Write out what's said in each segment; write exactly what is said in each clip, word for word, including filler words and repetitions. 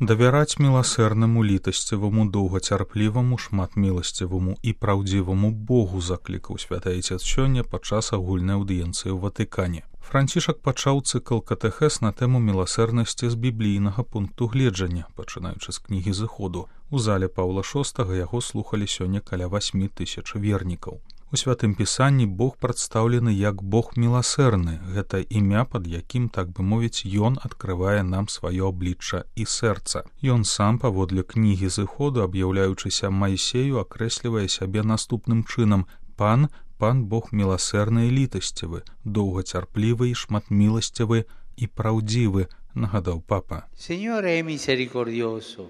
Давяраць міласэрнаму, літасціваму, доўгацярпліваму, шматміласціваму і праўдзіваму Богу заклікаў святы Айцец сёння падчас агульнай аўдыенцыі ў Ватыкане. Францішак пачаў цыкл катэхез на тэму міласэрнасці з біблійнага пункту гледжання, пачынаючы з кнігі Зыходу. У зале Паўла шостага яго слухалі сёння каля васьмі тысяч вернікаў. У святым пісанні Бог прадстаўлены як Бог міласэрны. Гэта імя, пад якім, так бы мовіць, ён адкрывае нам сваё аблічча і сэрца. Ён сам, паводле кнігі Зыходу, аб'яўляючыся Майсею, акрэслівае сябе наступным чынам: Пан, Пан Бог міласэрны і літасцівы, доўгацярплівы і шматміласцівы і праўдзівы, нагадаў папа. Signore è misericordioso.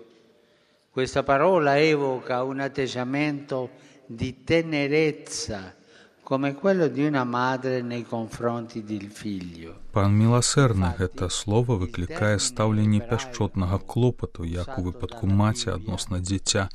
Questa parola evoca un atteggiamento di tenerezza, come quello di una madre nei confronti del figlio. Пан міласэрны, гэта слова выклікае стаўленне пяшчотнага клопату, як у выпадку маці адносна дзіця.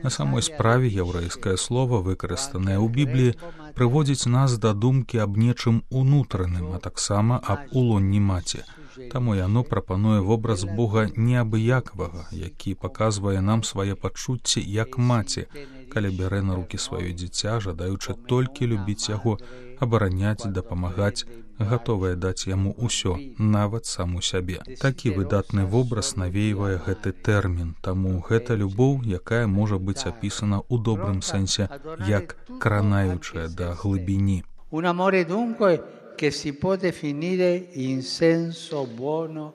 На самой справе яўрэйскае слова, выкарыстанае ў Бібліі, прыводзіць нас да думкі аб нечым унутраным, а таксама аб улонні маці. Таму яно прапануе вобраз Бога неабыякавага, які паказвае нам свае пачуцці як маці, калі бярэ на рукі сваё дзіця, жадаючы толькі любіць яго, абараняць, дапамагаць, гатовая даць яму ўсё, нават саму сябе. Такі выдатны вобраз навейвае гэты тэрмін, таму гэта любоў, якая можа быць апісана ў добрым сэнсе як кранаючая да глыбіні. Un amore dunque che si può definire in senso buono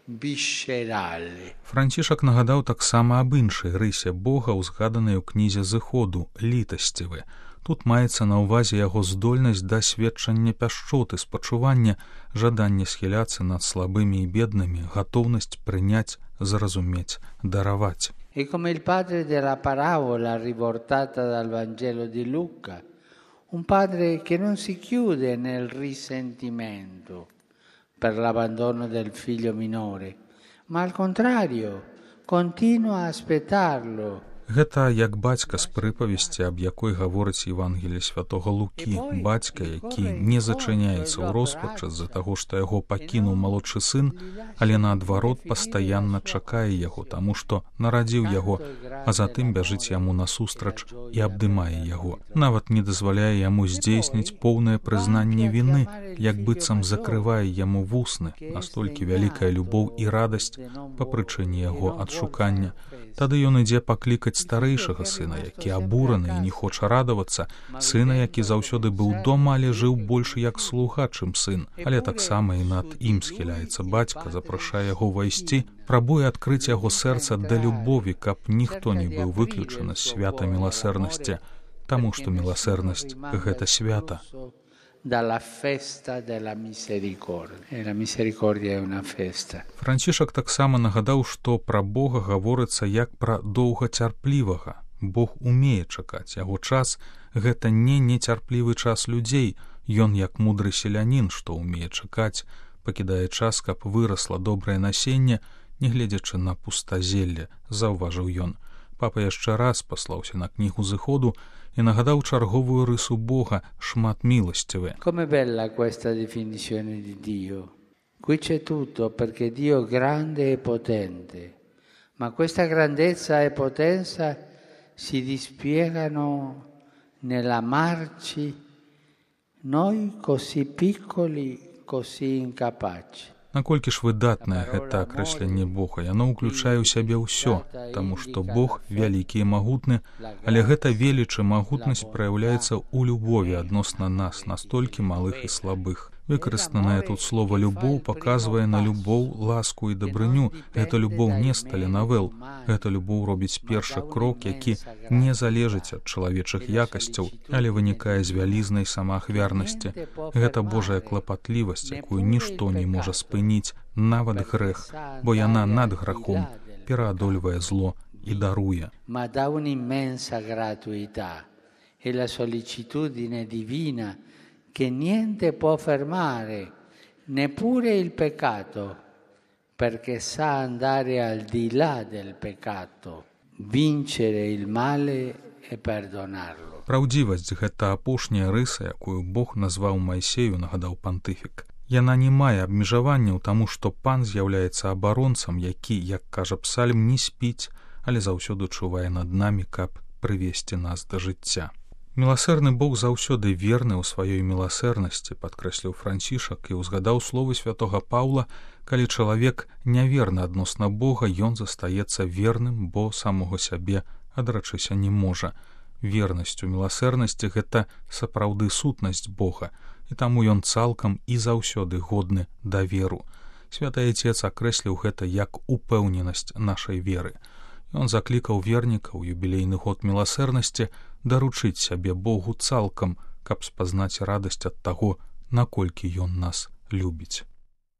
viscerale. Францішак нагадаў таксама аб іншай рысе Бога, узгаданай у кнізе Зыходу, літасцівы. Тут маецца на ўвазе яго здольнасць да сведчання пяшчоты, спачування, жаданне схіляцца над слабымі і беднымі, гатоўнасць прыняць, зразумець, дараваць. E come il padre della parabola riportata dal Vangelo di Luca, un padre che non si chiude nel risentimento per l'abbandono del figlio minore, ma al contrario, continua a aspettarlo. Гэта як бацька з прыпавесці, аб якой гаворыць Евангелие святого Лукі. Бацька, які не зачыняецца ў роспачы з-за таго, што яго пакінуў малодшы сын, але наадварот пастаянна чакае яго, таму што нарадзіў яго, а затым бяжыць яму насустрач і абдымае яго. Нават не дазваляе яму здзейсніць поўнае прызнанне віны, як быццам закрывае яму вусны. Настолькі вялікая любоў і радасць па прычыне яго адшукання. Тады ён ідзе паклікаць старэйшага сына, які абураны і не хоча радавацца, сына, які заўсёды быў дома, але жыў больш як слуга, чым сын. Але таксама і над ім схіляецца бацька, запрашае яго ўвайсці, прабуе адкрыць яго сэрца да любові, каб ніхто не быў выключаны з свята міласэрнасці, таму што міласэрнасць — гэта свята. Dalla festa della misericordia. E la misericordia è una festa. Францішак таксама нагадаў, што пра Бога гаворыцца як пра доўгацярплівага. Бог умее чакаць. Яго час — гэта не нецярплівы час людзей. Ён як мудры селянін, што умее чакаць, пакідае час, каб вырасла добрае насенне, не гледзячы на пустазелле, заўважыў ён. Папа яшчэ раз паслаўся на кнігу Зыходу і нагадаў чарговую рысу Бога — шматміласцівы. Come bella questa definizione di Dio. Qui c'è tutto, perché Dio è grande e potente, ma questa grandezza e potenza si dispiegano nell'amarci noi così piccoli, così incapaci. Наколькі ж выдатнае гэта акрэсленне Бога, яно ўключае ў сябе ўсё, таму што Бог вялікі і магутны, але гэта веліч і магутнасць праяўляецца ў любові адносна нас, настолькі малых і слабых. Выкарыстанае тут слова «любоў» паказвае на любоў, ласку і дабрыню. Гэта любоў не з таленавел. Гэта любоў робіць першы крок, які не залежыць ад чалавечых якасцяў, але вынікае з вялізнай самаахвярнасці. Гэта Божая клапатлівасць, якую нішто не можа спыніць, нават грэх, бо яна над грахом пераадольвае зло і даруе. Ma da un'immensa gratuità e la sollecitudine divina che niente può fermare, neppure il peccato, perché sa andare al di là del peccato, vincere il male e perdonarlo. Праўдзівасць — гэта апошняя рыса, якую Бог назваў Майсею, нагадаў пантыфік. Яна не мае абмежаванняў, таму што пан з'яўляецца абаронцам, які, як кажа псальм, не спіць, але заўсёды чувае над намі, каб прывесці нас да жыцця. Міласэрны Бог заўсёды верны ў сваёй міласэрнасці, падкрэсліў Францішак і ўзгадаў словы святога Паўла: калі чалавек няверны адносна Бога, ён застаецца верным, бо самога сябе адрачыся не можа. Вернасць у міласэрнасці — гэта сапраўды сутнасць Бога, і таму ён цалкам і заўсёды годны даверу. Святы Айцец акрэсліў гэта як упэўненасць нашай веры. Ён заклікаў вернікаў юбілейны год міласэрнасці даручыць сябе Богу цалкам, каб спазнаць радасць ад таго, наколькі ён нас любіць.